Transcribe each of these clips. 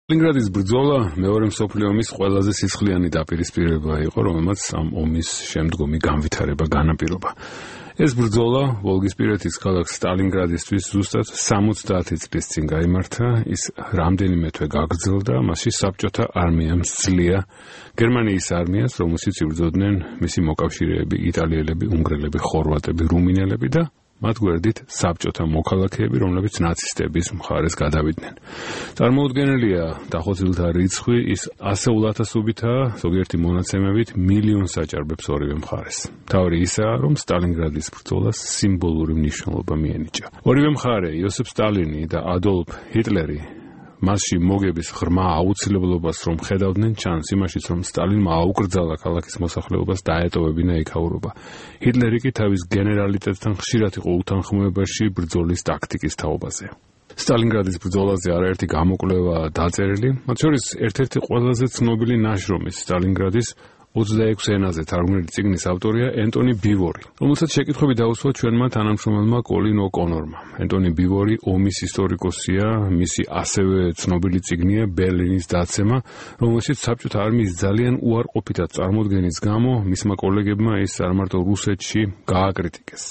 სტალინგრადის ბრძოლა მეორე მსოფლიო ომის ყველაზე სისხლიანი დაპირისპირება იყო, რომელმაც ამ ომის შემდგომი განვითარება განაპირობა. ეს ბრძოლა ვოლგისპირეთის ქალაქ სტალინგრადისთვის ზუსტად 70 წლის წინ გაიმართა, ის რამდენიმე თვე გაგრძელდა, მასში საბჭოთა არმიამ სძლია გერმანიის არმიას, რომელშიც იბრძოდნენ მისი მოკავშირეები, იტალიელები, უნგრელები, ხორვატები, რუმინელები და მათ გვერდით საბჭოთა მოქალაქეები, რომლებიც ნაცისტების მხარეს გადავიდნენ. წარმოუდგენელია დახოცილთა რიცხვი, ის ასეულათასობითაა, ზოგიერთი მონაცემებით მილიონს აჭარბებს ორივე მხარეს. მთავარი ისაა, რომ სტალინგრადის ბრძოლას სიმბოლური მნიშვნელობა მიენიჭა. ორივე მხარე, იოსებ სტალინი და ადოლფ ჰიტლერი, მასში მოგების ღრმა აუცილებლობას რომ ხედავდნენ, ჩანს იმაშიც, რომ სტალინმა აუკრძალა ქალაქის მოსახლეობას დაეტოვებინა იქაურობა. ჰიტლერი კი თავის გენერალიტეტთან ხშირად იყო უთანხმოებაში ბრძოლის ტაქტიკის თაობაზე. სტალინგრადის ბრძოლაზე არაერთი გამოკვლევა დაწერილი, მათ შორის ერთ-ერთი ყველაზე ცნობილი ნაშრომის სტალინგრადის 26 ენაზე თარგმნილი წიგნის ავტორია ენტონი ბივორი, რომელსაც შეკითხვები დაუსვა ჩვენმა თანამშრომელმა კოლინ ო'კონორმა. ენტონი ბივორი ომის ისტორიკოსია, მისი ასევე ცნობილი წიგნია ბერლინის დაცემა, რომელშიც საბჭოთა არმიის ძალიან უარყოფითად წარმოდგენის გამო მისმა კოლეგებმა ის არ მარტო რუსეთში გააკრიტიკეს.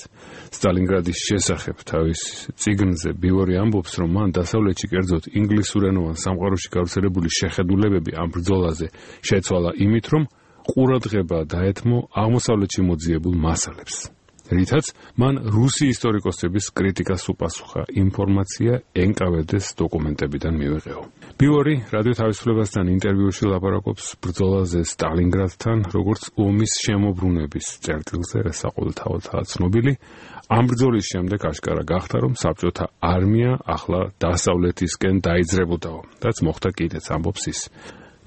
სტალინგრადის შესახებ თავის წიგნზე ბივორი ამბობს, რომ მან დასავლეთში, კერძოდ ინგლისურენოვან სამყაროში გავრცელებული შეხედულებები ამ ბრძოლაზე შეცვალა იმით, რომ ყურადღება დაეთმო აღმოსავლეთში მოძიებულ მასალებს. რითაც მან რუსი ისტორიკოსების კრიტიკას უპასუხა, ინფორმაცია NKVD-ს დოკუმენტებიდან მივეღეო. ბივორი რადიო თავისუფლებასთან ინტერვიუში ლაპარაკობს ბრძოლაზე სტალინგრადთან, როგორც ომის შემოbrunების წერტილზე, ეს საყოველთაოდაა ცნობილი. ამ ბრძოლის შემდეგ აშკარა გახდა, რომ საბჭოთა არმია ახლა დასავლეთისკენ დაიძრებოდაო, რაც მოხდა კიდეც, ამბობს ის.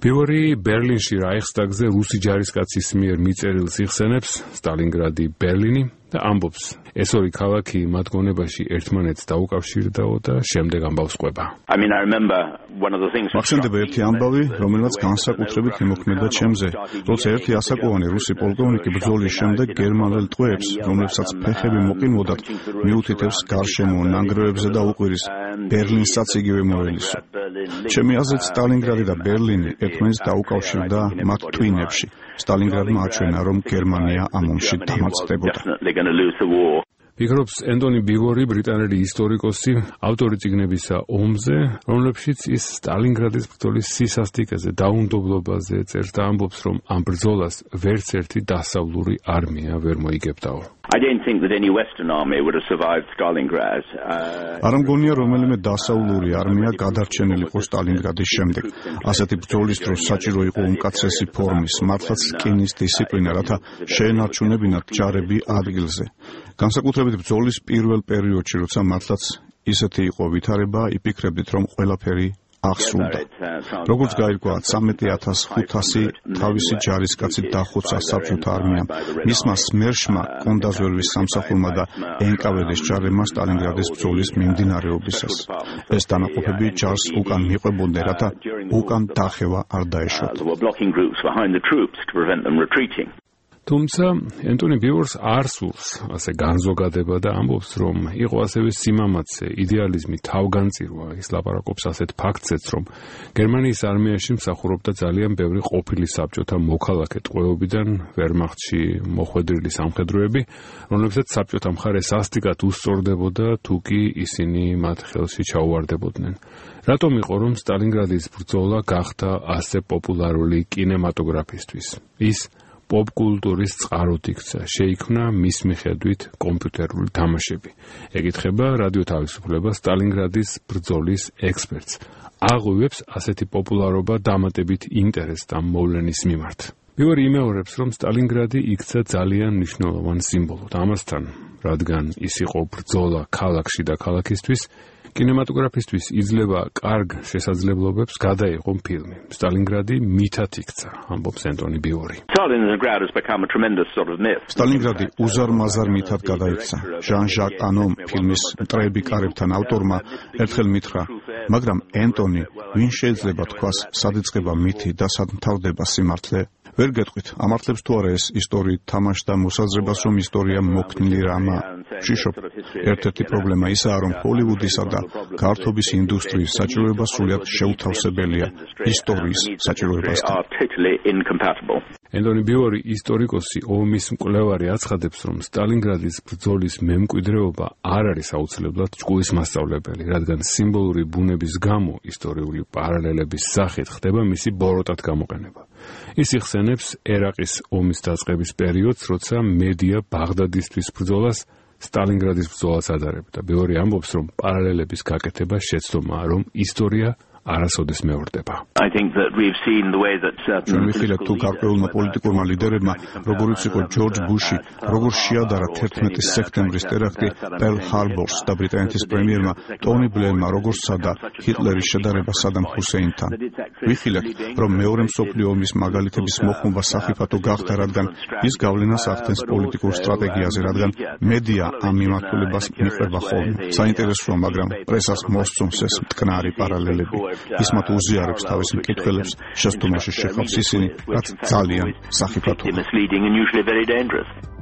ბივორი ბერლინში რაიხსტაგზე რუსი ჯარისკაცის მიერ მიწერილს იხსენებს, სტალინგრადი, ბერლინი და ამბობს, ეს ორი ქალაქი მათ გონებაში ერთმანეთს დაუკავშირდაო და შემდეგ ამბავს ყვება. მახსენდება ერთი ამბავი, რომელმაც განსაკუთრებით იმოქმედა ჩემზე, როცა ერთი ასაკოვანი რუსი პოლკოვნიკი ბრძოლის შემდეგ გერმანელ ტყვეებს, რომლებსაც ფეხები მოყინვოდათ, მიუთითებს გარშემო ნანგრევებზე და უყვირის ბერლინსაც იგივე მოელისო. ჩემი აზრით სტალინგრადი და ბერლინი ერთმანეთს დაუკავშირდა მათ twin-ებში. სტალინგრადმა აჩვენა, რომ გერმანია ამ ომში დამარცხდებოდა. ფიქრობს ენტონი ბივორი, ბრიტანელი ისტორიკოსი, ავტორი წიგნებისა ომზე, რომლებშიც ის სტალინგრადის ბრძოლის სისასტიკეზე, დაუნდობლობაზე წერს და ამბობს, რომ ამ ბრძოლას ვერც ერთი დასავლური არმია ვერ მოიგებდაო. არ მგონია რომელიმე დასავლური არმია გადარჩენილიყო სტალინგრადის შემდეგ. ასეთი ბრძოლის დროს საჭირო იყო უმკაცრესი ფორმის, მართლაც რკინის დისციპლინა, რათა შეენარჩუნებინათ ჯარები ადგილზე. განსაკუთრებით ბრძოლის პირველ პერიოდში, როცა მართლაც ისეთი იყო ვითარება, იფიქრებდით, რომ ყველაფერი აღსრულდა. როგორც გაირკვა, 13,500 თავისი ჯარისკაცით დახოცა საბჭოთა არმიამ, მისმა სმერშმა, კონდაზვერვის სამსახურმა და NKVD-ს ჯარებმა სტალინგრადის ბრძოლის მიმდინარეობისას. ეს დანაყოფები ჯარს უკან მიყვებოდნენ, რათა უკან დახევა არ დაეშვათ. თუმცა ენტონი ბივორს არ სურს ასე განზოგადება და ამბობს, რომ იყო ასევე სიმამაცე, იდეალიზმი, თავგანწირვა. ის ლაპარაკობს ასეთ ფაქტზეც, რომ გერმანიის არმიაში მსახურობდა ძალიან ბევრი ყოფილი საბჭოთა მოქალაქე ტყვეობიდან, ვერმახტში მოხვედრილი სამხედროები, რომლებსაც საბჭოთა მხარე სასტიკად უსწორდებოდა, თუ კი ისინი მათ ხელში ჩაუვარდებოდნენ. რატომ იყო, რომ სტალინგრადის ბრძოლა გახდა ასე პოპულარული კინემატოგრაფისტვის? ის პოპკულტურის წყაროდ იქცა, შეიქმნა მის მიხედვით კომპიუტერული თამაშები. ეკითხება რადიო თავისუფლება სტალინგრადის ბრძოლის ექსპერტს. აღვივებს ასეთი პოპულარობა დამატებით ინტერესს ამ მოვლენის მიმართ. ბივორი იმეორებს, რომ სტალინგრადი იქცა ძალიან მნიშვნელოვან სიმბოლოდ. ამასთან, რადგან ის იყო ბრძოლა ქალაქში და ქალაქისთვის, კინემატოგრაფისტვის იძლევა კარგ შესაძლებლობებს გადაიღო ფილმი. სტალინგრადი მითად იქცა, ამბობს ენტონი ბივორი. სტალინგრადი უზარმაზარ მითად გადაიქცა. ჟან-ჟაკ ანომ ფილმის მტრები კარებთან ავტორმა ერთხელ მითხრა, მაგრამ ენტონი, ვინ შეიძლება თქვას, სად იწყება მითი და სად მთავრდება სიმართლე? ვერ გეტყვით, ამართლებს თუ არა ეს ისტორიით თამაშდა მოსაზრებას, რომ ისტორია მოქნილი რამა. შიშობ, ერთ-ერთი პრობლემა ისაა, რომ ჰოლივუდისა და გართობის ინდუსტრიის საჭიროება სრულად შეუთავსებელია ისტორიის საჭიროებასთან. ენტონი ბიორი, ისტორიკოსი, ომის მკვლევარი აცხადებს, რომ სტალინგრადის ბრძოლის მემკვიდრეობა არ არის აუცილებლად ჭკუის მასწავლებელი, რადგან სიმბოლური ბუნების გამო ისტორიული პარალელების სახით ხდება მისი ბოროტად გამოყენება. ის იხსენებს ერაყის ომის დაწყების პერიოდს, როცა მედია ბაღდადისთვის ბრძოლას სტალინგრადის ბრძოლას ადარებდა. ბიორი ამბობს, რომ პარალელების გაკეთება შეცდომაა, რომ ისტორია არასოდეს მეორდება. ჩვენ ვიხილეთ თუ გარკვეულმა პოლიტიკურმა ლიდერებმა, როგორიც იყო ჯორჯ ბუში, როგორ შეადარა 11 სექტემბრის ტერაქტი პერლ ჰარბორს და ბრიტანეთის პრემიერმა ტონი ბლერმა როგორ სცადა ჰიტლერის შედარება სადამ ჰუსეინთან. ვიხილეთ, რომ მეორე მსოფლიო ომის მაგალითების მოხმობა სახიფათო გახდა, რადგან ის გავლენას ახდენს პოლიტიკურ სტრატეგიაზე, რადგან მედია ამ მიმართულებას მიყვება ხოლმე. საინტერესოა, მაგრამ პრესას მოსწონს ეს მტკნარი პარალელები. ის მათ უზიარებს თავის მკითხველებს, შეცდომაში შეხავს ისინი, რაც ძალიან სახიფათოა.